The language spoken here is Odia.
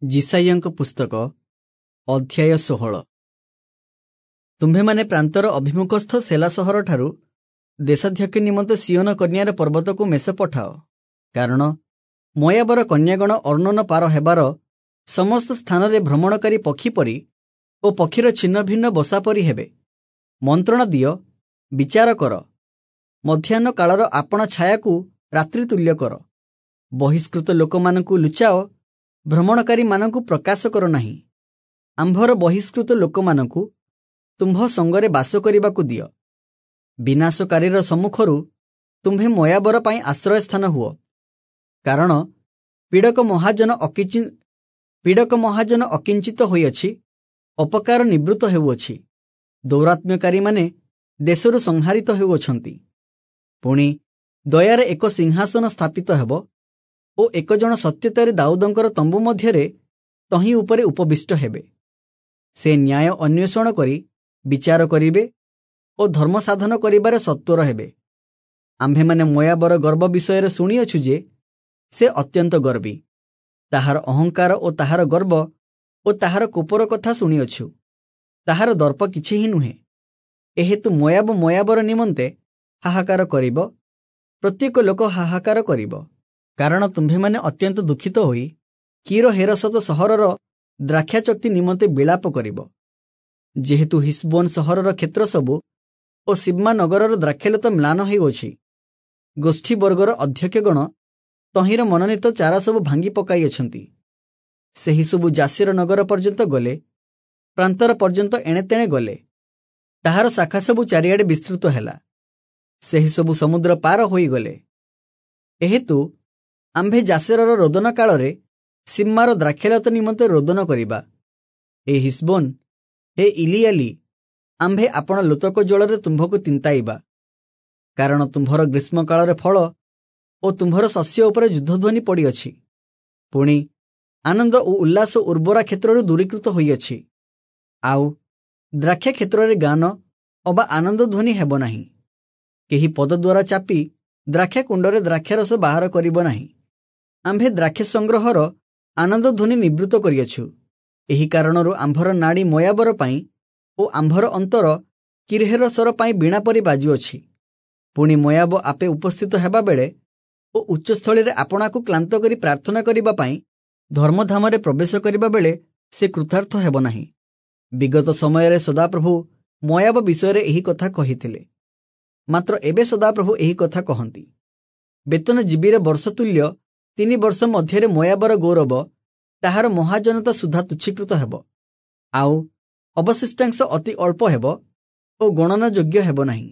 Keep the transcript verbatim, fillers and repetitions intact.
ଯିଶାଇୟଙ୍କ ପୁସ୍ତକ ଅଧ୍ୟାୟ ଷୋହଳ। ତୁମ୍ଭେମାନେ ପ୍ରାନ୍ତର ଅଭିମୁଖସ୍ଥ ସେଲା ସହରଠାରୁ ଦେଶାଧ୍ୟକ୍ଷ ନିମନ୍ତେ ସିୟୋନ କନ୍ୟାର ପର୍ବତକୁ ମେଷ ପଠାଅ, କାରଣ ମୋୟାବର କନ୍ୟାଗଣ ଅର୍ଣ୍ଣୋନ ପାର ହେବାର ସମସ୍ତ ସ୍ଥାନରେ ଭ୍ରମଣକାରୀ ପକ୍ଷୀ ପରି ଓ ପକ୍ଷୀର ଛିନ୍ନ ଭିନ୍ନ ବସା ପରି ହେବେ। ମନ୍ତ୍ରଣା ଦିଅ, ବିଚାର କର, ମଧ୍ୟାହ୍ନ କାଳର ଆପଣା ଛାୟାକୁ ରାତ୍ରି ତୁଲ୍ୟ କର। ବହିଷ୍କୃତ ଲୋକମାନଙ୍କୁ ଲୁଚାଅ, ଭ୍ରମଣକାରୀମାନଙ୍କୁ ପ୍ରକାଶ କର ନାହିଁ। ଆମ୍ଭର ବହିଷ୍କୃତ ଲୋକମାନଙ୍କୁ ତୁମ୍ଭ ସଙ୍ଗରେ ବାସ କରିବାକୁ ଦିଅ। ବିନାଶକାରୀର ସମ୍ମୁଖରୁ ତୁମ୍ଭେ ମୋୟାବର ପାଇଁ ଆଶ୍ରୟସ୍ଥାନ ହୁଅ, କାରଣ ପୀଡ଼କ ମହାଜନ ଅକିଚି ପୀଡ଼କ ମହାଜନ ଅକିଞ୍ଚିତ ହୋଇଅଛି, ଅପକାର ନିବୃତ୍ତ ହେଉଅଛି, ଦୌରାତ୍ମ୍ୟକାରୀମାନେ ଦେଶରୁ ସଂହାରିତ ହେଉଅଛନ୍ତି। ପୁଣି ଦୟାରେ ଏକ ସିଂହାସନ ସ୍ଥାପିତ ହେବ ଓ ଏକ ଜଣ ସତ୍ୟତାରେ ଦାଉଦଙ୍କର ତମ୍ବୁ ମଧ୍ୟରେ ତହିଁ ଉପରେ ଉପବିଷ୍ଟ ହେବେ। ସେ ନ୍ୟାୟ ଅନ୍ୱେଷଣ କରି ବିଚାର କରିବେ ଓ ଧର୍ମ ସାଧନ କରିବାରେ ସତ୍ୱର ହେବେ। ଆମ୍ଭେମାନେ ମୋୟାବର ଗର୍ବ ବିଷୟରେ ଶୁଣିଅଛୁ ଯେ ସେ ଅତ୍ୟନ୍ତ ଗର୍ବୀ। ତାହାର ଅହଙ୍କାର ଓ ତାହାର ଗର୍ବ ଓ ତାହାର କୋପର କଥା ଶୁଣିଅଛୁ। ତାହାର ଦର୍ପ କିଛି ହିଁ ନୁହେଁ। ଏହେତୁ ମୋୟାବ ମୋୟାବର ନିମନ୍ତେ ହାହାକାର କରିବ, ପ୍ରତ୍ୟେକ ଲୋକ ହାହାକାର କରିବ। କାରଣ ତୁମ୍ଭେମାନେ ଅତ୍ୟନ୍ତ ଦୁଃଖିତ ହୋଇ କୀର ହେରସତ ସହରର ଦ୍ରାକ୍ଷାଚକ୍ତି ନିମନ୍ତେ ବିଳାପ କରିବ। ଯେହେତୁ ହିସବୋନ ସହରର କ୍ଷେତ୍ର ସବୁ ଓ ସିବ୍ମା ନଗରର ଦ୍ରାକ୍ଷାଲତା ମ୍ଲାନ ହେଉଅଛି, ଗୋଷ୍ଠୀବର୍ଗର ଅଧ୍ୟକ୍ଷଗଣ ତହିଁର ମନୋନୀତ ଚାରା ସବୁ ଭାଙ୍ଗି ପକାଇଅଛନ୍ତି। ସେହି ସବୁ ଯାସୀର ନଗର ପର୍ଯ୍ୟନ୍ତ ଗଲେ, ପ୍ରାନ୍ତର ପର୍ଯ୍ୟନ୍ତ ଏଣେତେଣେ ଗଲେ। ତାହାର ଶାଖା ସବୁ ଚାରିଆଡ଼େ ବିସ୍ତୃତ ହେଲା, ସେହି ସବୁ ସମୁଦ୍ର ପାର ହୋଇଗଲେ। ଏହେତୁ ଆମ୍ଭେ ଯାସେରର ରୋଦନ କାଳରେ ସିମ୍ମାର ଦ୍ରାକ୍ଷାଲତା ନିମନ୍ତେ ରୋଦନ କରିବା। ଏ ହିସବୋନ, ହେ ଇଲିୟାଲି, ଆମ୍ଭେ ଆପଣା ଲୋତକ ଜଳରେ ତୁମ୍ଭକୁ ତିନ୍ତାଇବା, କାରଣ ତୁମ୍ଭର ଗ୍ରୀଷ୍ମକାଳରେ ଫଳ ଓ ତୁମ୍ଭର ଶସ୍ୟ ଉପରେ ଯୁଦ୍ଧଧ୍ୱନି ପଡ଼ିଅଛି। ପୁଣି ଆନନ୍ଦ ଓ ଉଲ୍ଲାସ ଉର୍ବରା କ୍ଷେତ୍ରରୁ ଦୂରୀକୃତ ହୋଇଅଛି, ଆଉ ଦ୍ରାକ୍ଷା କ୍ଷେତ୍ରରେ ଗାନ ଅବା ଆନନ୍ଦ ଧ୍ୱନି ହେବ ନାହିଁ। କେହି ପଦ ଦ୍ୱାରା ଚାପି ଦ୍ରାକ୍ଷା କୁଣ୍ଡରେ ଦ୍ରାକ୍ଷାରସ ବାହାର କରିବ ନାହିଁ। ଆମ୍ଭେ ଦ୍ରାକ୍ଷା ସଂଗ୍ରହର ଆନନ୍ଦ ଧ୍ୱନି ନିବୃତ୍ତ କରିଅଛୁ। ଏହି କାରଣରୁ ଆମ୍ଭର ନାଡ଼ି ମୋୟାବର ପାଇଁ ଓ ଆମ୍ଭର ଅନ୍ତର କିର୍ହେରସର ପାଇଁ ବୀଣା ପରି ବାଜୁଅଛି। ପୁଣି ମୋୟାବ ଆପେ ଉପସ୍ଥିତ ହେବା ବେଳେ ଓ ଉଚ୍ଚସ୍ଥଳୀରେ ଆପଣାକୁ କ୍ଳାନ୍ତ କରି ପ୍ରାର୍ଥନା କରିବା ପାଇଁ ଧର୍ମଧାମରେ ପ୍ରବେଶ କରିବା ବେଳେ ସେ କୃତାର୍ଥ ହେବ ନାହିଁ। ବିଗତ ସମୟରେ ସଦାପ୍ରଭୁ ମୋୟାବ ବିଷୟରେ ଏହି କଥା କହିଥିଲେ, ମାତ୍ର ଏବେ ସଦାପ୍ରଭୁ ଏହି କଥା କହନ୍ତି, ବେତନଜୀବୀର ବର୍ଷ ତୁଲ୍ୟ ତିନି ବର୍ଷ ମଧ୍ୟରେ ମୋୟାବର ଗୌରବ ତାହାର ମହାଜନତା ସୁଦ୍ଧା ତୁଚ୍ଛୀକୃତ ହେବ, ଆଉ ଅବଶିଷ୍ଟାଂଶ ଅତି ଅଳ୍ପ ହେବ ଓ ଗଣନା ଯୋଗ୍ୟ ହେବ ନାହିଁ।